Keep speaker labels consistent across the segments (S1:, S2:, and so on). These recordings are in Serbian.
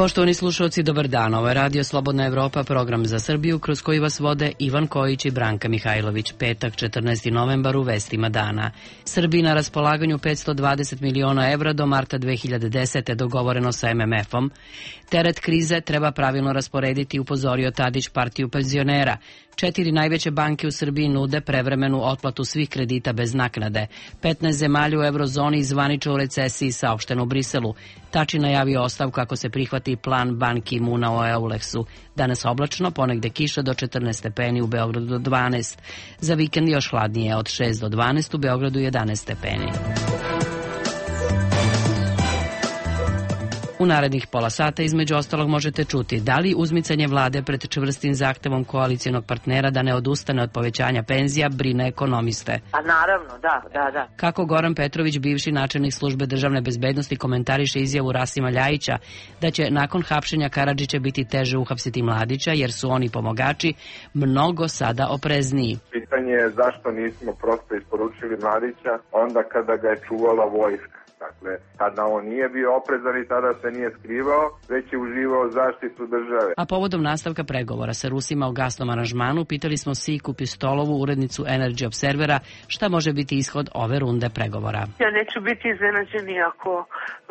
S1: Poštovani slušalci, dobar dan. Ovo je Radio Slobodna Evropa, program za Srbiju, kroz koji vas vode Ivan Kojić i Branka Mihajlović. Petak, 14. novembar, u vestima dana. Srbiji na raspolaganju 520 miliona evra do marta 2010. dogovoreno sa MMF-om. Teret krize treba pravilno rasporediti, upozorio Tadić partiju penzionera. 4 najveće banke u Srbiji nude prevremenu otplatu svih kredita bez naknade. 15 zemalja u eurozoni zvanično u recesiji, saopšteno u Briselu. Tači najavio ostavku ako se prihvati plan Ban Ki-muna o Euleksu. Danas oblačno, ponegde kiša do 14 stepeni, u Beogradu do 12. Za vikend još hladnije, od 6 do 12, u Beogradu 11 stepeni. U narednih pola sata između ostalog možete čuti da li uzmicanje vlade pred čvrstim zahtevom koalicijonog partnera da ne odustane od povećanja penzija brine ekonomiste.
S2: A naravno, da.
S1: Kako Goran Petrović, bivši načelnik službe državne bezbednosti, komentariše izjavu Rasima Ljajića da će nakon hapšenja Karadžića biti teže uhapsiti Mladića jer su oni pomagači mnogo sada oprezniji.
S3: Pitanje je zašto nismo prosto isporučili Mladića onda kada ga je čuvala vojska. Dakle, tada on nije bio oprezan i tada se nije skrivao, već je uživao zaštitu države.
S1: A povodom nastavka pregovora sa Rusima o gasnom aranžmanu, pitali smo Siku Pistolovu, urednicu Energy Observera, šta može biti ishod ove runde pregovora.
S2: Ja neću biti iznenađeni ako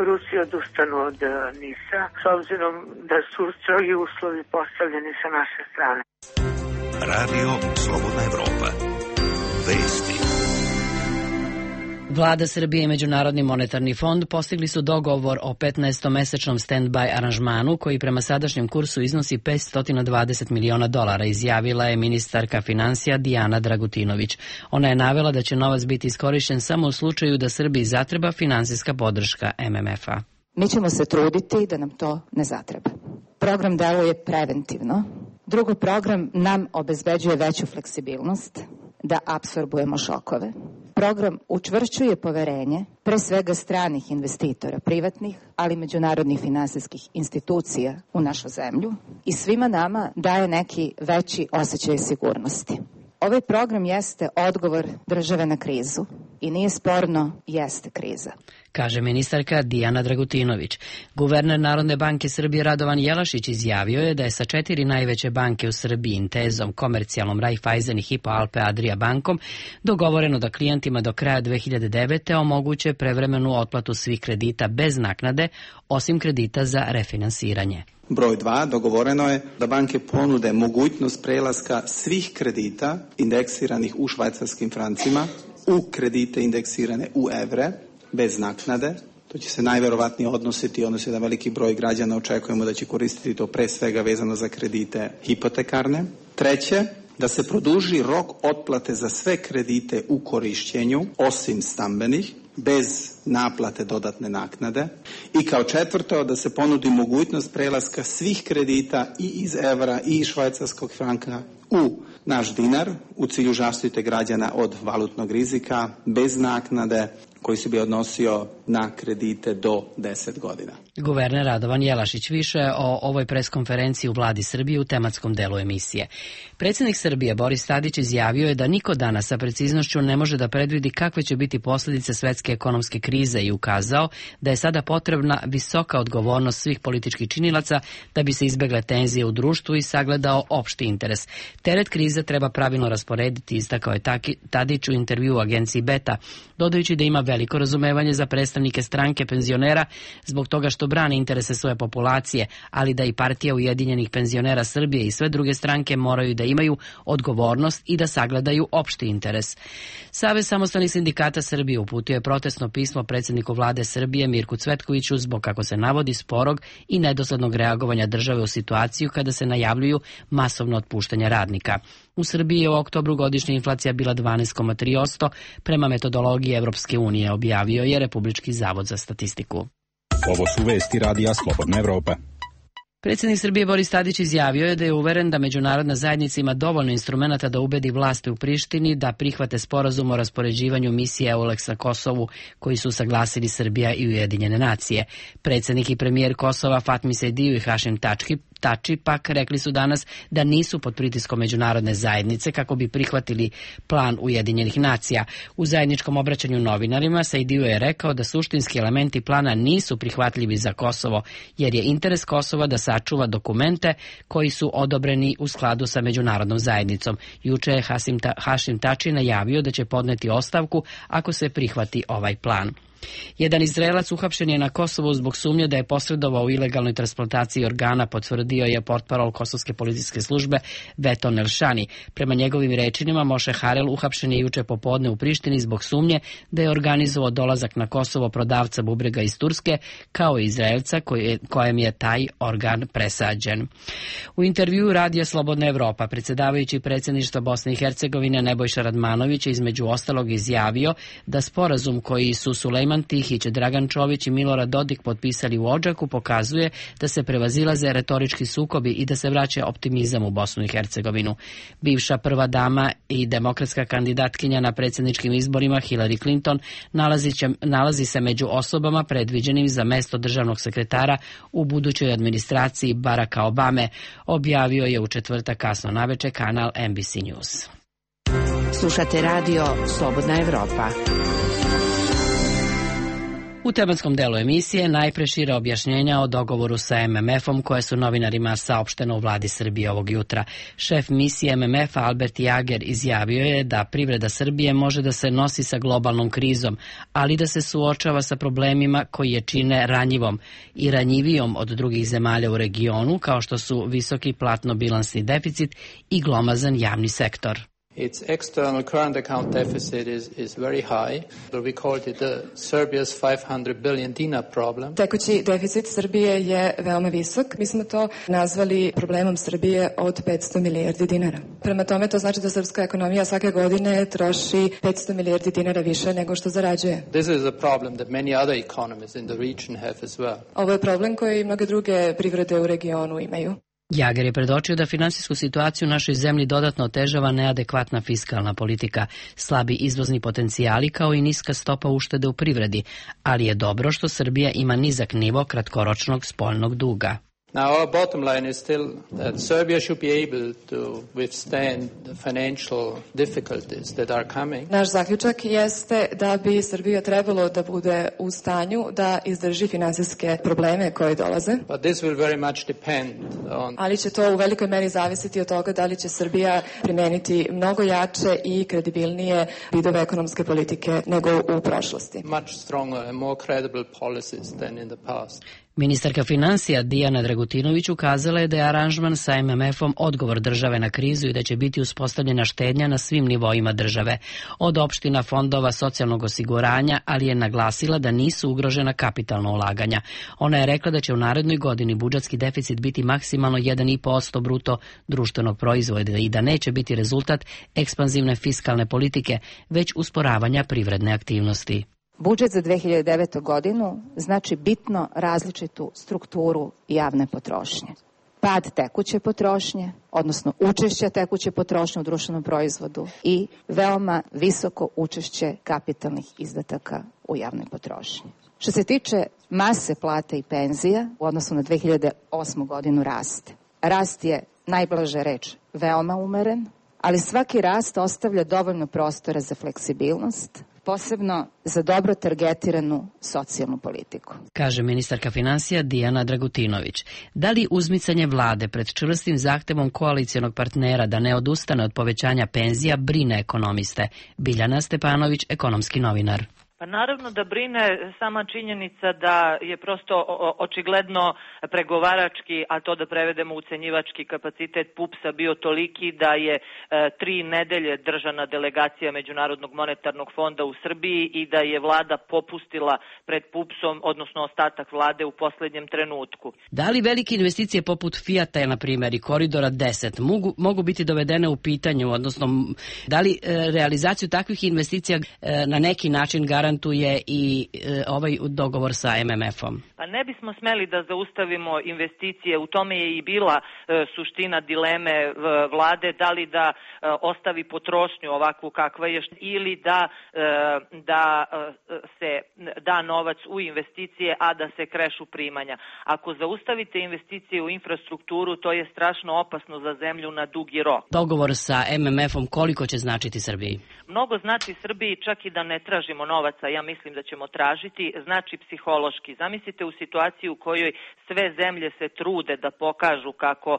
S2: Rusi odustanu od NIS-a, s obzirom da su strogi uslovi postavljeni sa naše strane.
S4: Radio Slobodna Evropa. Vesti.
S1: Vlada Srbije i Međunarodni monetarni fond postigli su dogovor o 15-mesečnom stand-by aranžmanu koji prema sadašnjem kursu iznosi $520 miliona, izjavila je ministarka finansija Dijana Dragutinović. Ona je navela da će novac biti iskorišćen samo u slučaju da Srbiji zatreba finansijska podrška MMF-a.
S5: Mi ćemo se truditi da nam to ne zatreba. Program deluje preventivno. Drugo, program nam obezbeđuje veću fleksibilnost da apsorbujemo šokove. Program učvršćuje poverenje, pre svega stranih investitora, privatnih, ali i međunarodnih finansijskih institucija u našu zemlju i svima nama daje neki veći osjećaj sigurnosti. Ovaj program jeste odgovor države na krizu i nije sporno, jeste kriza,
S1: kaže ministarka Dijana Dragutinović. Guverner Narodne banke Srbije Radovan Jelašić izjavio je da je sa 4 najveće banke u Srbiji, Intezom, Komercijalnom, Raiffeisen i Hypo Alpe Adria bankom, dogovoreno da klijentima do kraja 2009. omoguće prevremenu otplatu svih kredita bez naknade, osim kredita za refinansiranje.
S6: Broj 2. Dogovoreno je da banke ponude mogućnost prelaska svih kredita indeksiranih u švajcarskim francima u kredite indeksirane u evre bez naknade. To će se najverovatnije odnositi da veliki broj građana očekujemo da će koristiti to pre svega vezano za kredite hipotekarne. Treće, da se produži rok otplate za sve kredite u korišćenju, osim stambenih, bez naplate dodatne naknade. I kao četvrto, da se ponudi mogućnost prelaska svih kredita i iz evra i iz švajcarskog franka u naš dinar u cilju zaštite građana od valutnog rizika bez naknade koji se bi odnosio na kredite do 10 godina.
S1: Guverner Radovan Jelašić. Više o ovoj preskonferenciji u vladi Srbije u tematskom delu emisije. Predsjednik Srbije Boris Tadić izjavio je da niko danas sa preciznošću ne može da predvidi kakve će biti posljedice svetske ekonomske krize i ukazao da je sada potrebna visoka odgovornost svih političkih činilaca da bi se izbegle tenzije u društvu i sagledao opšti interes. Teret krize treba pravilno rasporediti, istakao je Tadić u intervjuu u agenciji Beta, dodajući da ima veliko razumevanje za predstavnike stranke penzionera zbog toga što brane interese svoje populacije, ali da i partija Ujedinjenih penzionera Srbije i sve druge stranke moraju da imaju odgovornost i da sagledaju opšti interes. Savez samostalnih sindikata Srbije uputio je protestno pismo predsjedniku vlade Srbije Mirku Cvetkoviću zbog, kako se navodi, sporog i nedoslednog reagovanja države u situaciju kada se najavljuju masovno otpuštanje radnika. U Srbiji je u oktobru godišnja inflacija bila 12,3% prema metodologiji Evropske unije, objavio je Republički zavod za statistiku.
S7: Ovo su vesti Radija Slobodna Evropa.
S1: Predsjednik Srbije Boris Tadić izjavio je da je uveren da međunarodna zajednica ima dovoljno instrumenata da ubedi vlasti u Prištini da prihvate sporazum o raspoređivanju misije EULEX na Kosovu koji su saglasili Srbija i Ujedinjene nacije. Predsjednik i premijer Kosova Fatmi Sediju i Hašim Tači pak rekli su danas da nisu pod pritiskom međunarodne zajednice kako bi prihvatili plan Ujedinjenih nacija. U zajedničkom obraćanju novinarima Sejdiu je rekao da suštinski elementi plana nisu prihvatljivi za Kosovo, jer je interes Kosova da sačuva dokumente koji su odobreni u skladu sa međunarodnom zajednicom. Juče je Hašim Tači najavio da će podneti ostavku ako se prihvati ovaj plan. Jedan Izraelac uhapšen je na Kosovu zbog sumnje da je posredovao u ilegalnoj transplantaciji organa, potvrdio je portparol kosovske policijske službe Veton Elšani. Prema njegovim rečima, Moše Harel uhapšen je juče popodne u Prištini zbog sumnje da je organizovao dolazak na Kosovo prodavca bubrega iz Turske, kao i Izraelca kojem je taj organ presađen. U intervjuu Radija Slobodna Evropa predsjedavajući predsjedništva Bosne i Hercegovine Nebojša Radmanović je između ostalog izjavio da sporazum koji su Sulejman Tihić, Dragan Čović i Milorad Dodik potpisali u Odžaku pokazuje da se prevazilaze retorički sukobi i da se vraća optimizam u Bosnu i Hercegovinu. Bivša prva dama i demokratska kandidatkinja na predsjedničkim izborima Hillary Clinton nalazi se među osobama predviđenim za mesto državnog sekretara u budućoj administraciji Baracka Obame, objavio je u četvrtak kasno naveče kanal NBC News.
S8: Slušate radio Slobodna Evropa.
S1: U tematskom delu emisije najpre šira objašnjenja o dogovoru sa MMF-om koje su novinarima saopšteno u vladi Srbije ovog jutra. Šef misije MMF-a Albert Jager izjavio je da privreda Srbije može da se nosi sa globalnom krizom, ali da se suočava sa problemima koji je čine ranjivom i ranjivijom od drugih zemalja u regionu, kao što su visoki platno-bilansni deficit i glomazan javni sektor.
S9: Its external current account deficit is very high. We called it Serbia's 500 billion dinar problem.
S10: Tekući deficit Srbije je veoma visok. Mi smo to nazvali problemom Srbije od 500 milijardi dinara. Prema tome to znači da srpska ekonomija svake godine troši 500 milijardi dinara više nego što zarađuje.
S9: This is a problem that many other economies in the region have as well.
S10: Ovo je problem koji mnoge druge privrede u regionu imaju.
S1: Jager je predočio da finansijsku situaciju u našoj zemlji dodatno otežava neadekvatna fiskalna politika, slabi izvozni potencijali kao i niska stopa uštede u privredi, ali je dobro što Srbija ima nizak nivo kratkoročnog spoljnog duga.
S9: Now our bottom line is still that Serbia should be able to withstand the financial difficulties that are coming.
S10: Naš zaključak jeste da bi Srbija trebalo da bude u stanju da izdrži finansijske probleme koje dolaze.
S9: But this will very much depend on.
S10: Ali će to u velikoj meri zavisiti od toga da li će Srbija primeniti mnogo jače i kredibilnije vidove ekonomske politike nego u prošlosti.
S9: Much stronger and more credible policies than in the past.
S1: Ministarka financija Dijana Dragutinović ukazala je da je aranžman sa MMF-om odgovor države na krizu i da će biti uspostavljena štednja na svim nivoima države, od opština, fondova, socijalnog osiguranja, ali je naglasila da nisu ugrožena kapitalna ulaganja. Ona je rekla da će u narednoj godini budžetski deficit biti maksimalno 1,5% bruto društvenog proizvoda i da neće biti rezultat ekspanzivne fiskalne politike, već usporavanja privredne aktivnosti.
S5: Budžet za 2009. godinu znači bitno različitu strukturu javne potrošnje. Pad tekuće potrošnje, odnosno učešće tekuće potrošnje u društvenom proizvodu i veoma visoko učešće kapitalnih izdataka u javnoj potrošnji. Što se tiče mase plata i penzija, u odnosu na 2008. godinu raste. Rast je, najblaže reč, veoma umeren, ali svaki rast ostavlja dovoljno prostora za fleksibilnost, posebno za dobro targetiranu socijalnu politiku.
S1: Kaže ministarka financija Dijana Dragutinović. Da li uzmicanje vlade pred čvrstim zahtevom koalicijonog partnera da ne odustane od povećanja penzija brine ekonomiste? Biljana Stepanović, ekonomski novinar.
S11: Pa naravno da brine sama činjenica da je prosto očigledno pregovarački, a to da prevedemo ucenjivački kapacitet PUPS-a bio toliki da je 3 nedelje držana delegacija Međunarodnog monetarnog fonda u Srbiji i da je vlada popustila pred PUPS-om, odnosno ostatak vlade u posljednjem trenutku.
S1: Da li velike investicije poput Fijata, na primjer, i Koridora 10 mogu biti dovedene u pitanju, odnosno da li realizaciju takvih investicija na neki način garantuje garantuje i ovaj dogovor sa MMF-om?
S11: Pa ne bismo smeli da zaustavimo investicije, u tome je i bila suština dileme vlade, da li da ostavi potrošnju ovakvu kakva je ili da se da novac u investicije, a da se krešu primanja. Ako zaustavite investicije u infrastrukturu, to je strašno opasno za zemlju na dugi rok.
S1: Dogovor sa MMF-om koliko će značiti Srbiji?
S11: Mnogo znači Srbiji, čak i da ne tražimo novaca, ja mislim da ćemo tražiti, znači psihološki. Zamislite u situaciji u kojoj sve zemlje se trude da pokažu kako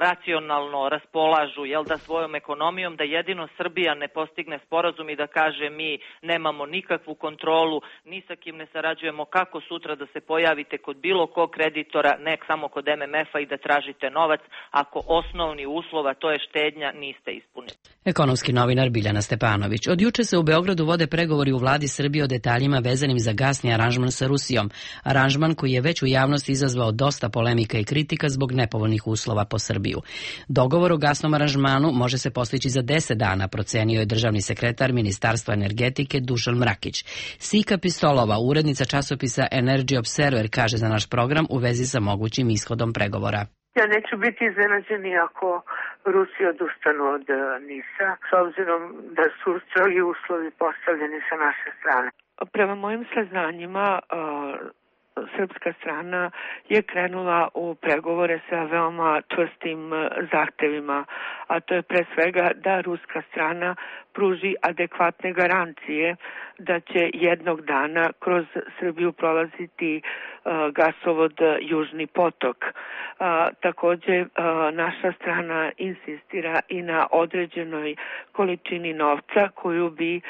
S11: racionalno raspolažu da svojom ekonomijom, da jedino Srbija ne postigne sporazum i da kaže mi nemamo nikakvu kontrolu, ni sa kim ne sarađujemo, kako sutra da se pojavite kod bilo kog kreditora, ne samo kod MMF-a i da tražite novac, ako osnovni uslov, a to je štednja, niste ispunili.
S1: Ekonomski novinar Biljana Stepanović. Od juče se u Beogradu vode pregovori u vladi Srbije o detaljima vezanim za gasni aranžman sa Rusijom. Aranžman koji je već u javnosti izazvao dosta polemika i kritika zbog nepovoljnih uslova po Srbiju. Dogovor o gasnom aranžmanu može se postići za 10 dana, procenio je državni sekretar Ministarstva energetike Dušan Mrakić. Sika Pistolova, urednica časopisa Energy Observer, kaže za naš program u vezi sa mogućim ishodom pregovora.
S2: Ja neću biti iznenađeni ako Rusi odustanu od NIS-a, s obzirom da su strogi uslovi postavljeni sa naše strane. Prema mojim saznanjima, srpska strana je krenula u pregovore sa veoma čvrstim zahtevima, a to je pre svega da ruska strana pruži adekvatne garancije da će jednog dana kroz Srbiju prolaziti gasovod Južni potok. Takođe, naša strana insistira i na određenoj količini novca koju bi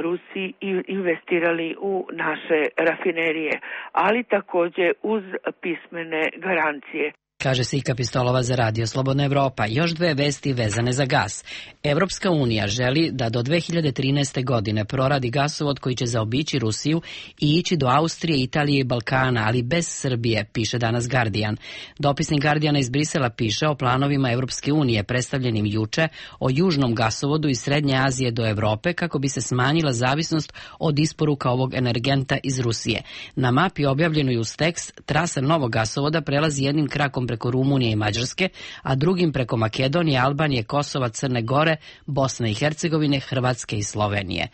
S2: Rusi investirali u naše rafinerije, ali takođe uz pismene garancije.
S1: Kaže Sika Pistolova za Radio Slobodna Evropa. Još dve vesti vezane za gas. Evropska unija želi da do 2013. godine proradi gasovod koji će zaobići Rusiju i ići do Austrije, Italije i Balkana, ali bez Srbije, piše danas Guardian. Dopisnik Guardiana iz Brisela piše o planovima Evropske unije predstavljenim juče o južnom gasovodu iz Srednje Azije do Evrope kako bi se smanjila zavisnost od isporuka ovog energenta iz Rusije. Na mapi objavljenoj uz tekst trasa novog gasovoda prelazi jednim krakom preko Rumunije i Mađarske, a drugim preko Makedonije, Albanije, Kosova, Crne Gore, Bosne i Hercegovine, Hrvatske i Slovenije.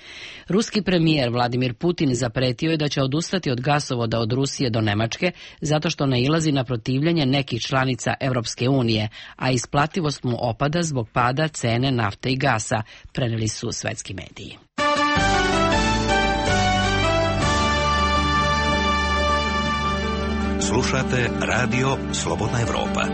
S1: Ruski premijer Vladimir Putin zapretio je da će odustati od gasovoda od Rusije do Nemačke zato što nailazi na protivljenje nekih članica Evropske unije, a isplativost mu opada zbog pada cene nafte i gasa, preneli su svetski mediji.
S4: Slušate Radio Slobodna Evropa.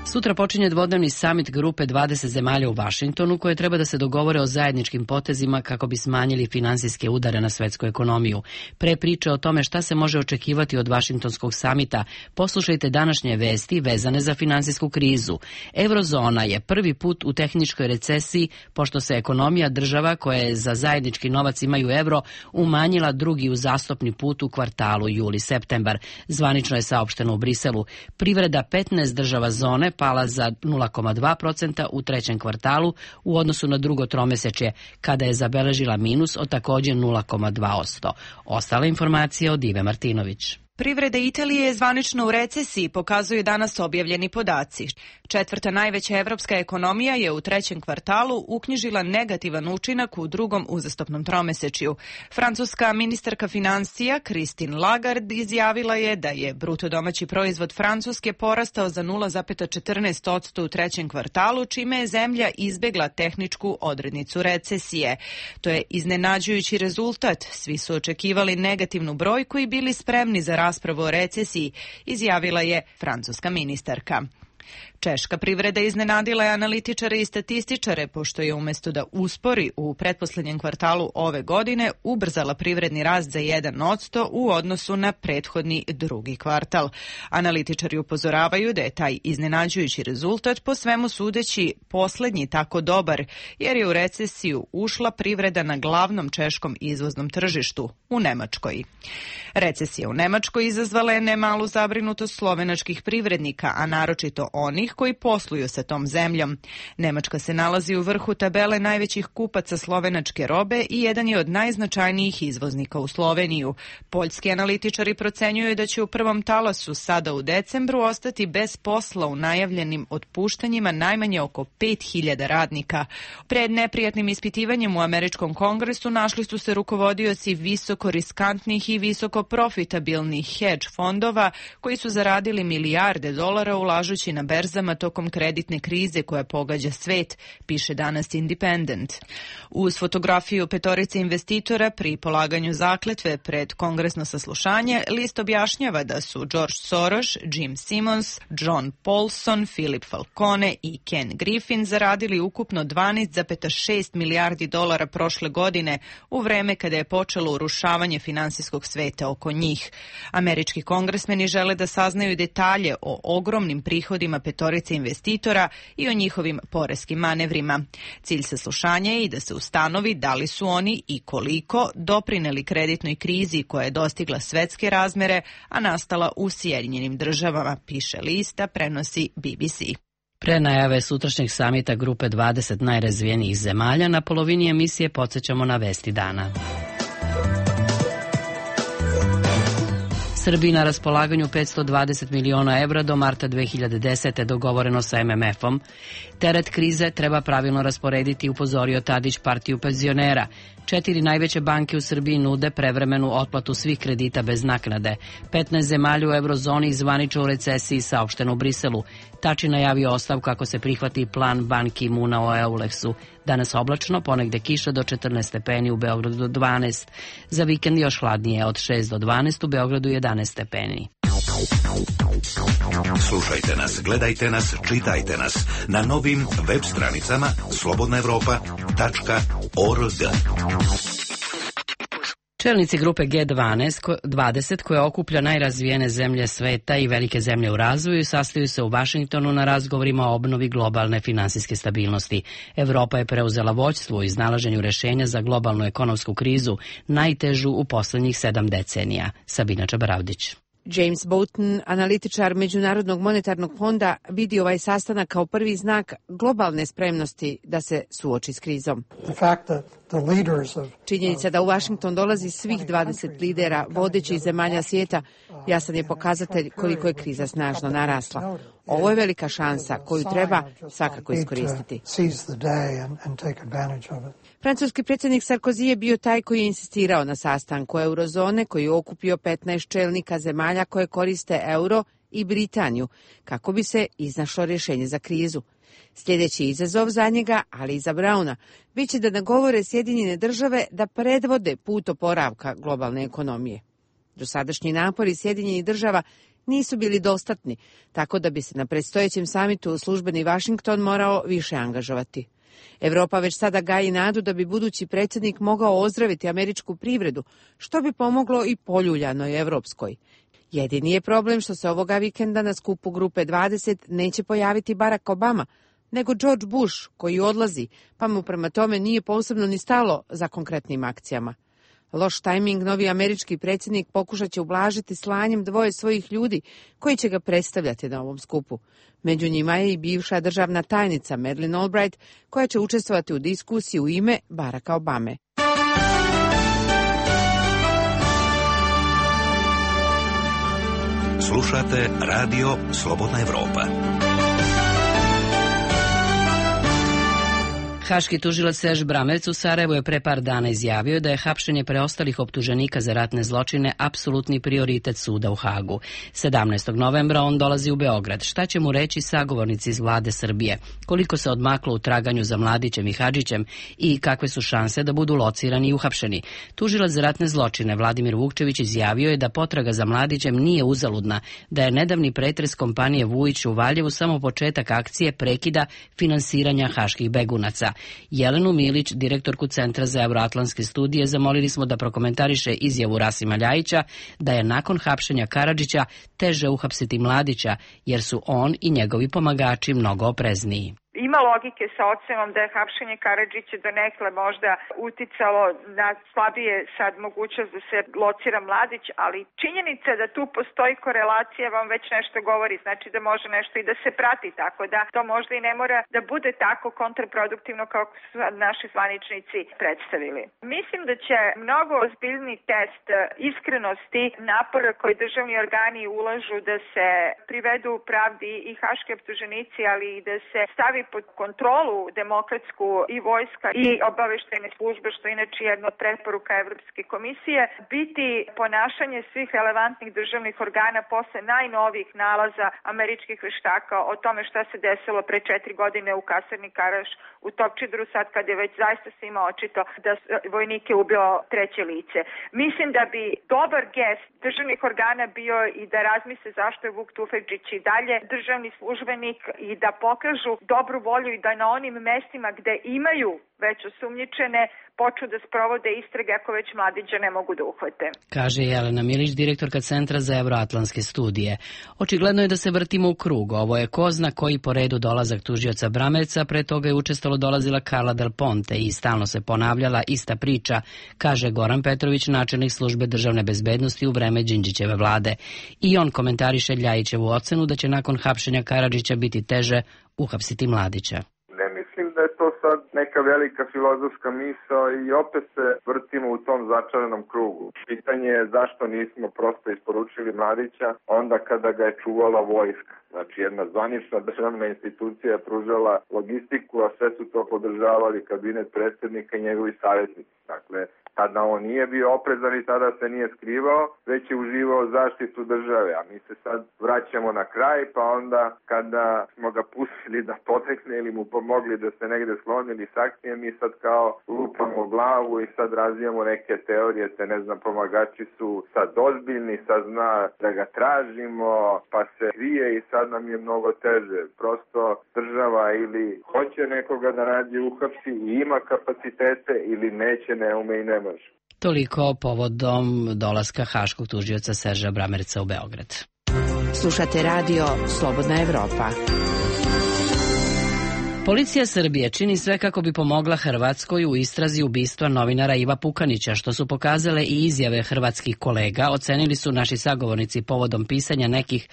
S1: Sutra počinje dvodnevni samit grupe 20 zemalja u Vašingtonu koje treba da se dogovore o zajedničkim potezima kako bi smanjili finansijske udare na svetsku ekonomiju. Pre priče o tome šta se može očekivati od Vašingtonskog samita, poslušajte današnje vesti vezane za finansijsku krizu. Eurozona je prvi put u tehničkoj recesiji pošto se ekonomija država koje za zajednički novac imaju evro umanjila drugi uzastopni put u kvartalu juli-septembar. Zvanično je saopšteno u Briselu. Privreda 15 država zone pala za 0,2% u trećem kvartalu u odnosu na drugo tromesečje, kada je zabeležila minus od takođe 0,2%. Ostale informacije od Ive Martinović.
S12: Privreda Italije je zvanično u recesiji, pokazuju danas objavljeni podaci. Četvrta najveća evropska ekonomija je u trećem kvartalu uknjižila negativan učinak u drugom uzastopnom tromesečju. Francuska ministarka financija Christine Lagarde izjavila je da je bruto domaći proizvod Francuske porastao za 0,14% u trećem kvartalu, čime je zemlja izbegla tehničku odrednicu recesije. To je iznenađujući rezultat. Svi su očekivali negativnu brojku i bili spremni za raspravu o recesiji, izjavila je francuska ministarka. Češka privreda iznenadila je analitičare i statističare, pošto je umesto da uspori u pretposlednjem kvartalu ove godine ubrzala privredni rast za 1% u odnosu na prethodni drugi kvartal. Analitičari upozoravaju da je taj iznenađujući rezultat po svemu sudeći poslednji tako dobar, jer je u recesiju ušla privreda na glavnom češkom izvoznom tržištu, u Nemačkoj. Recesija u Nemačkoj izazvala je nemalu zabrinutost slovenačkih privrednika, a naročito onih koji posluju sa tom zemljom. Nemačka se nalazi u vrhu tabele najvećih kupaca slovenačke robe i jedan je od najznačajnijih izvoznika u Sloveniju. Poljski analitičari procenjuju da će u prvom talasu sada u decembru ostati bez posla u najavljenim otpuštanjima najmanje oko 5000 radnika. Pred neprijatnim ispitivanjem u američkom kongresu našli su se rukovodioci visoko riskantnih i visoko profitabilnih hedge fondova koji su zaradili milijarde dolara ulažući na berzama tokom kreditne krize koja pogađa svet, piše danas Independent. Uz fotografiju petorice investitora pri polaganju zakletve pred kongresno saslušanje, list objašnjava da su George Soros, Jim Simons, John Paulson, Philip Falcone i Ken Griffin zaradili ukupno 12,6 milijardi dolara prošle godine u vreme kada je počelo urušavanje finansijskog sveta oko njih. Američki kongresmeni žele da saznaju detalje o ogromnim prihodima petorice investitora i o njihovim poreskim manevrima. Cilj saslušanja je i da se ustanovi da li su oni i koliko doprineli kreditnoj krizi koja je dostigla svetske razmere, a nastala u Sjedinjenim Državama, piše lista, prenosi BBC.
S1: Pre najave sutrašnjeg samita grupe 20 najrazvijenijih zemalja, na polovini emisije podsjećamo na vesti dana. Srbiji na raspolaganju 520 miliona evra do marta 2010. dogovoreno sa MMF-om. Teret krize treba pravilno rasporediti, upozorio Tadić partiju penzionera. 4 najveće banke u Srbiji nude prevremenu otplatu svih kredita bez naknade. 15 zemalja u eurozoni zvanično u recesiji, saopšteno u Briselu. Tači najavio ostavku ako se prihvati plan Ban Ki-moona o Euleksu. Danas oblačno, ponegde kiša do 14 stepeni, u Beogradu do 12. Za vikend još hladnije, od 6 do 12, u Beogradu 11 stepeni.
S4: Slušajte nas, gledajte nas, čitajte nas na novim web stranicama slobodnaevropa.org.
S1: Čelnici grupe G20 koja okuplja najrazvijene zemlje sveta i velike zemlje u razvoju sastaju se u Vašingtonu na razgovorima o obnovi globalne finansijske stabilnosti. Evropa je preuzela vođstvo u iznalaženju rešenja za globalnu ekonomsku krizu, najtežu u poslednjih 7 decenija. Sabina Čabaravdić.
S13: James Bolton, analitičar Međunarodnog monetarnog fonda, vidi ovaj sastanak kao prvi znak globalne spremnosti da se suoči s krizom. Činjenica da u Washington dolazi svih 20 lidera vodećih zemalja svijeta jasan je pokazatelj koliko je kriza snažno narasla. Ovo je velika šansa koju treba svakako iskoristiti. Francuski predsjednik Sarkozy je bio taj koji je insistirao na sastanku eurozone koji je okupio 15 čelnika zemalja koje koriste euro i Britaniju kako bi se iznašlo rješenje za krizu. Sljedeći izazov za njega, ali i za Brauna, bit će da nagovore Sjedinjene Države da predvode put oporavka globalne ekonomije. Dosadašnji napori Sjedinjenih Država nisu bili dostatni, tako da bi se na predstojećem samitu službeni Washington morao više angažovati. Evropa već sada gaji nadu da bi budući predsjednik mogao ozdraviti američku privredu, što bi pomoglo i poljuljanoj evropskoj. Jedini je problem što se ovoga vikenda na skupu grupe 20 neće pojaviti Barack Obama, nego George Bush koji odlazi, pa mu prema tome nije posebno ni stalo za konkretnim akcijama. Loš tajming novi američki predsjednik pokušat će ublažiti slanjem 2 svojih ljudi koji će ga predstavljati na ovom skupu. Među njima je i bivša državna tajnica Madeleine Albright koja će učestvovati u diskusiji u ime Baracka Obame.
S4: Slušate radio Slobodna Evropa.
S1: Haški tužilac Serž Bramerc u Sarajevu je pre par dana izjavio da je hapšenje preostalih optuženika za ratne zločine apsolutni prioritet suda u Hagu. 17. novembra on dolazi u Beograd. Šta će mu reći sagovornici iz vlade Srbije? Koliko se odmaklo u traganju za Mladićem i Hadžićem i kakve su šanse da budu locirani i uhapšeni? Tužilac za ratne zločine Vladimir Vukčević izjavio je da potraga za Mladićem nije uzaludna, da je nedavni pretres kompanije Vujić u Valjevu samo početak akcije prekida finansiranja haških begunaca. Jelenu Milić, direktorku Centra za euroatlantske studije, zamolili smo da prokomentariše izjavu Rasima Ljajića da je nakon hapšenja Karadžića teže uhapsiti Mladića, jer su on i njegovi pomagači mnogo oprezniji.
S14: ima logike sa ocenom da je hapšenje Karadžića donekle možda uticalo na slabije sad mogućnost da se locira Mladić, ali činjenica da tu postoji korelacija vam već nešto govori, znači da može nešto i da se prati, tako da to možda i ne mora da bude tako kontraproduktivno kao su naši zvaničnici predstavili. Mislim da će mnogo ozbiljni test iskrenosti napora koji državni organi ulažu da se privedu pravdi i haški optuženici, ali i da se stavi pod kontrolu demokratsku i vojska i obaveštajne službe, što je inače jedna od preporuka Evropske komisije, biti ponašanje svih relevantnih državnih organa posle najnovijih nalaza američkih veštaka o tome šta se desilo pre 4 godine u kasarni Karaš u Topčideru, sad kad je već zaista svima očito da vojnike ubio treće lice. Mislim da bi dobar gest državnih organa bio i da razmisle zašto je Vuk Tufekčić i dalje državni službenik i da pokažu dobru volju i da na onim mestima gde imaju već osumnjičene počnu da sprovode istrage ako već Mladića ne mogu da uhvate.
S1: Kaže Jelena Milić, direktorka Centra za evroatlantske studije. Očigledno je da se vrtimo u krug. Ovo je ko zna koji po redu dolazak tužioca Bramerca, pre toga je učestalo dolazila Carla Del Ponte i stalno se ponavljala ista priča, kaže Goran Petrović, načelnik službe državne bezbednosti u vreme Đinđićeve vlade. I on komentariše Ljajićevu ocenu da će nakon hapšenja Karadžića biti teže uhapsiti Mladića.
S3: Mislim da je to sad neka velika filozofska misao i opet se vrtimo u tom začaranom krugu. Pitanje je zašto nismo prosto isporučili Mladića onda kada ga je čuvala vojska. Znači jedna zvanična državna institucija je pružala logistiku, a sve su to podržavali kabinet predsjednika i njegovi savjetnici. Dakle, tada on nije bio oprezan i tada se nije skrivao, već je uživao zaštitu države. A mi se sad vraćamo na kraj, pa onda kada smo ga pustili da potekne ili mu pomogli da se negde sklonili s akcije, mi sad kao lupamo glavu i sad razvijamo neke teorije, ne znam, pomagači su sad ozbiljni, sad zna da ga tražimo, pa se krije i sad nam je mnogo teže. Prosto država ili hoće nekoga da nađe uhapsi i ima kapacitete ili neće, ne ume i ne može.
S1: Toliko povodom dolaska haškog tužioca Serža Bramerca u Beograd.
S8: Slušate radio Slobodna Evropa.
S1: Policija Srbije čini sve kako bi pomogla Hrvatskoj u istrazi ubistva novinara Iva Pukanića, što su pokazale i izjave hrvatskih kolega. Ocenili su naši sagovornici povodom pisanja nekih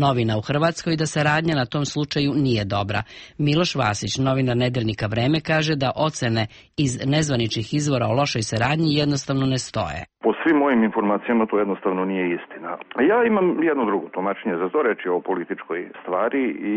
S1: novina u Hrvatskoj da saradnja na tom slučaju nije dobra. Miloš Vasić, novinar nedeljnika Vreme, kaže da ocene iz nezvaničnih izvora o lošoj saradnji jednostavno ne stoje.
S15: Po svim mojim informacijama to jednostavno nije istina. Ja imam jedno drugo tumačenje za to, reći o političkoj stvari i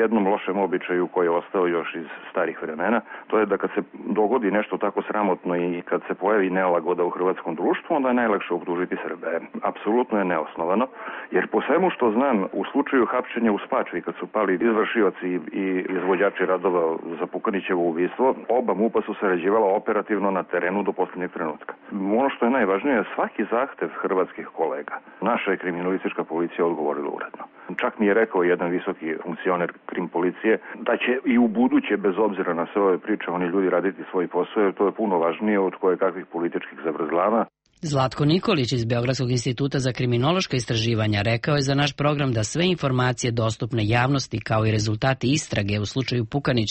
S15: jednom lošem običaju koji je ostao još iz starih vremena. To je da kad se dogodi nešto tako sramotno i kad se pojavi nelagoda u hrvatskom društvu, onda je najlakše optužiti Srbe. Apsolutno je neosnovano, jer po svemu što znam, u slučaju hapšenja u Spačvi, kad su pali izvršioci i izvođači radova za Pukanićevo ubistvo, oba MUP-a su sarađivala operativno na terenu do posljednjeg trenutka. Ono što je najvažnije je svaki zahtev hrvatskih kolega. Naša je kriminalistička policija odgovorila uredno. Čak mi je rekao jedan visoki funkcioner krim policije da će i u buduće, bez obzira na sve ove priče, oni ljudi raditi svoj posao, jer to je puno važnije od kojekakvih političkih zavrzlama.
S1: Zlatko Nikolić iz Beogradskog instituta za kriminološka istraživanja rekao je za naš program da sve informacije dostupne javnosti kao i rezultati istrage u slučaju Pukanić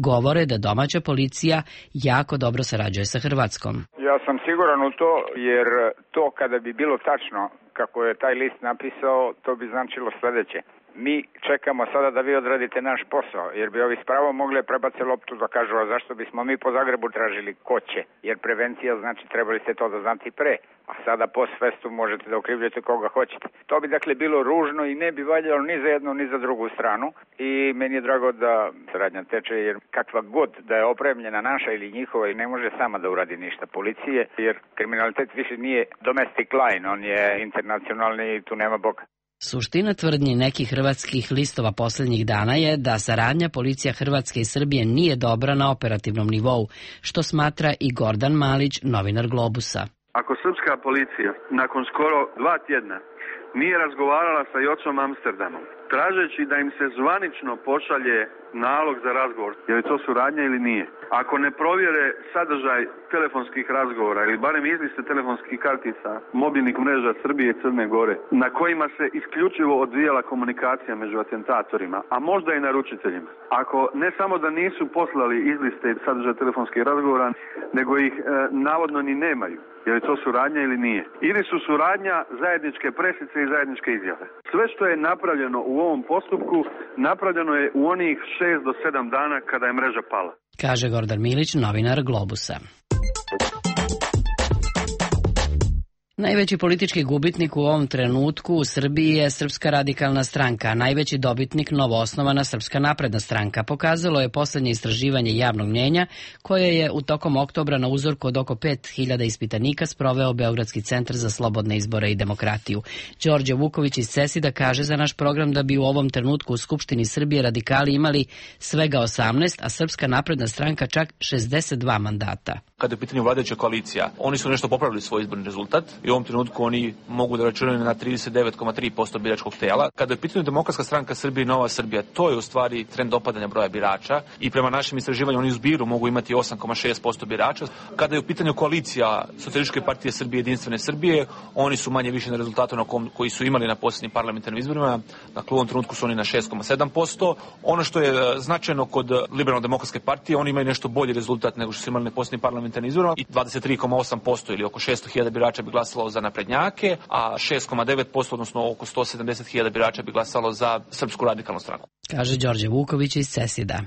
S1: govore da domaća policija jako dobro sarađuje sa Hrvatskom.
S16: Ja sam siguran u to, jer to kada bi bilo tačno kako je taj list napisao, to bi značilo sledeće. Mi čekamo sada da vi odradite naš posao, jer bi ovi spravo mogli prebace loptu da kažu, a zašto bismo mi po Zagrebu tražili ko će, jer prevencija znači trebali ste to da znati pre, a sada post festum možete da okrivljate koga hoćete. To bi dakle bilo ružno i ne bi valjalo ni za jednu ni za drugu stranu i meni je drago da saradnja teče, jer kakva god da je opremljena naša ili njihova i ne može sama da uradi ništa policije, jer kriminalitet više nije domestic line, on je internacionalni i tu nema Boga.
S1: Suština tvrdnji nekih hrvatskih listova posljednjih dana je da saradnja policija Hrvatske i Srbije nije dobra na operativnom nivou, što smatra i Gordan Malić, novinar Globusa.
S17: Ako srpska policija nakon skoro 2 tjedna nije razgovarala sa Jocom Amsterdamom, tražeći da im se zvanično pošalje nalog za razgovor. Je li to suradnja ili nije? Ako ne provjere sadržaj telefonskih razgovora ili barem izliste telefonskih kartica mobilnih mreža Srbije i Crne Gore, na kojima se isključivo odvijala komunikacija među atentatorima, a možda i naručiteljima, ako ne samo da nisu poslali izliste sadržaja telefonskih razgovora, nego ih navodno ni nemaju, je li to suradnja ili nije? Ili su suradnja zajedničke presice i zajedničke izjave. Sve što je napravljeno u ovom postupku, napravljeno je u onih 6 do 7 dana kada je mreža pala.
S1: Kaže Gordan Milić, novinar Globusa. Najveći politički gubitnik u ovom trenutku u Srbiji je Srpska radikalna stranka, a najveći dobitnik novoosnovana Srpska napredna stranka. Pokazalo je poslednje istraživanje javnog mnjenja koje je u tokom oktobra na uzorku od oko 5000 ispitanika sproveo Beogradski centar za slobodne izbore i demokratiju. Đorđe Vuković iz CESID-a kaže za naš program da bi u ovom trenutku u Skupštini Srbije radikali imali svega 18, a Srpska napredna stranka čak 62 mandata.
S18: Kada je u pitanju vladajuća koalicija, oni su nešto popravili svoj izborni rezultat i u ovom trenutku oni mogu da računaju na 39,3% biračkog tela. Kada je u pitanju Demokratska stranka Srbije i Nova Srbija, to je u stvari trend opadanja broja birača i prema našem istraživanju oni u zbiru mogu imati 8,6% birača. Kada je u pitanju koalicija Socijalističke partije Srbije i Jedinstvene Srbije, oni su manje više na rezultatu koji su imali na posljednjim parlamentarnim izborima. Dakle, u ovom trenutku su oni na 6,7%. Ono što je značajno kod Liberalno-demokratske partije, oni imaju nešto bolji rezultat nego što su imali na posljednjim parlamentarnim izborima i 23,8% ili oko 600.000 birača bi glasalo za naprednjake, a 6,9%, odnosno oko 170.000 birača bi glasalo za Srpsku radikalnu stranku.
S1: Kaže Đorđe Vuković iz CESID-a.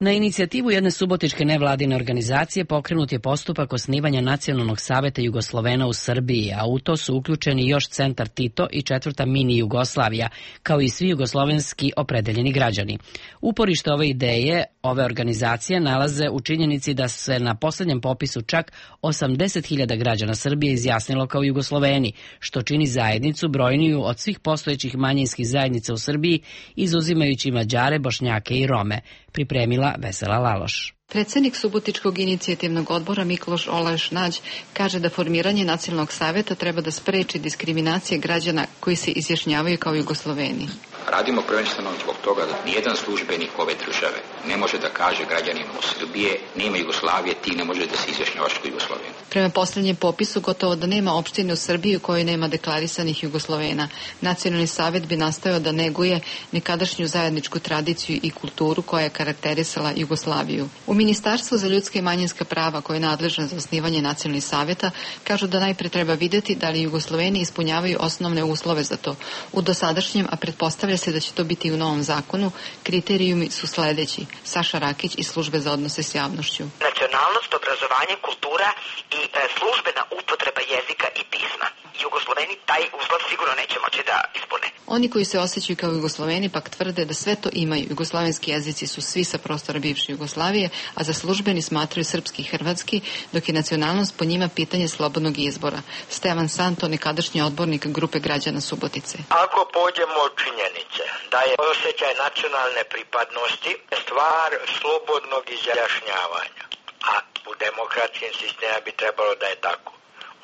S1: Na inicijativu jedne subotičke nevladine organizacije pokrenut je postupak osnivanja Nacionalnog saveta Jugoslovena u Srbiji, a u to su uključeni još Centar Tito i 4. mini Jugoslavija, kao i svi jugoslovenski opredeljeni građani. Uporište ove ideje ove organizacije nalaze u činjenici da se na poslednjem popisu čak 80.000 građana Srbije izjasnilo kao Jugosloveni, što čini zajednicu brojniju od svih postojećih manjinskih zajednica u Srbiji, izuzimajući Mađare, Bošnjake i Rome, pripremila Vesela Laloš.
S19: Predsednik Subotičkog inicijativnog odbora Mikloš Olajš Nađ kaže da formiranje Nacionalnog saveta treba da spreči diskriminacije građana koji se izjašnjavaju kao Jugosloveni.
S20: Radimo prvenstveno zbog toga da nijedan službenik ove države ne može da kaže građanima Srbije nema Jugoslavije, ti ne može da se izjašnjavaš kao Jugosloven.
S19: Prema posljednjem popisu gotovo da nema opštine u Srbiji u kojoj nema deklarisanih Jugoslovena. Nacionalni savet bi nastojao da neguje nekadašnju zajedničku tradiciju i kulturu koja je karakterisala Jugoslaviju. U Ministarstvu za ljudska i manjinska prava, koje je nadležno za osnivanje nacionalnih saveta, kažu da najpre treba videti da li Jugosloveni ispunjavaju osnovne uslove za to. U dosadašnjem, a pretpostavlja se da će to biti u novom zakonu, kriterijumi su sledeći. Saša Rakić iz Službe za odnose s javnošću.
S21: Nacionalnost, obrazovanje, kultura i službena upotreba jezika i pisma. Jugosloveni taj uslov sigurno neće moći da ispune.
S19: Oni koji se osjećaju kao Jugosloveni pak tvrde da sve to imaju. Jugoslovenski jezici su svi sa prostora bivše Jugoslavije, a za službeni smatraju srpski i hrvatski, dok je nacionalnost po njima pitanje slobodnog izbora. Stevan Santo, nekadašnji odbornik grupe građana Subotice.
S22: Ako pođemo od činjenice da je osjećaj nacionalne pripadnosti stvar slobodnog izjašnjavanja, a u demokratskim sistemima bi trebalo da je tako,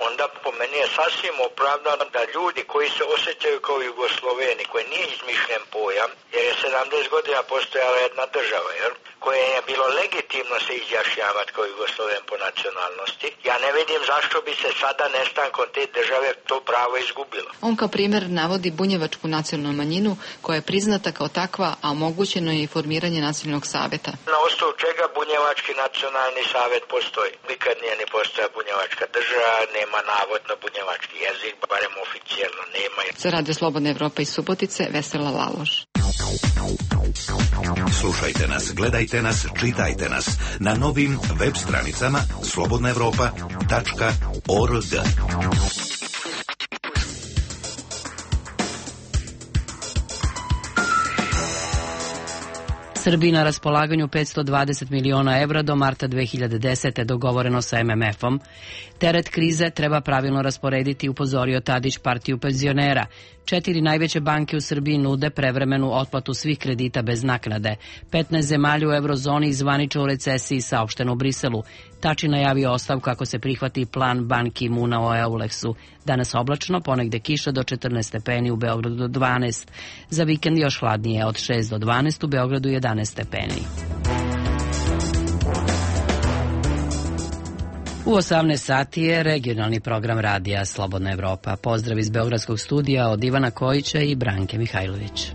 S22: onda po meni je sasvim opravdano da ljudi koji se osjećaju kao Jugosloveni, koji nije izmišljen pojam, jer je 70 godina postojala jedna država, koje je bilo legitimno se izjašnjavati kao Jugosloven po nacionalnosti, ja ne vidim zašto bi se sada nestankom te države to pravo izgubilo.
S19: On kao primjer navodi bunjevačku nacionalnu manjinu koja je priznata kao takva, a omogućeno je i formiranje nacionalnog saveta.
S22: Na osnovu čega bunjevački nacionalni savet postoji? Nikad nije ni postoja bunjevačka država, nema navodno bunjevački jezik, barem oficijalno nema.
S19: Za Radio Slobodna Evropa iz Subotice, Vesela Laloš.
S4: Slušajte nas, gledajte nas, čitajte nas na novim web stranicama slobodnaevropa.org.
S1: Srbiji na raspolaganju 520 miliona evra do marta 2010. dogovoreno sa MMF-om. Teret krize treba pravilno rasporediti, upozorio Tadić partiju penzionera. 4 najveće banke u Srbiji nude prevremenu otplatu svih kredita bez naknade. 15 zemalja u eurozoni zvanično u recesiji, saopšteno u Briselu. Tači najavio ostavku ako se prihvati plan Ban Ki-moona o Euleksu. Danas oblačno, ponegde kiša do 14 stepeni, u Beogradu do 12. Za vikend još hladnije, od 6 do 12, u Beogradu 11 stepeni. U 18 sati je regionalni program radija Slobodna Evropa. Pozdrav iz Beogradskog studija od Ivana Kojića i Branke Mihajlović.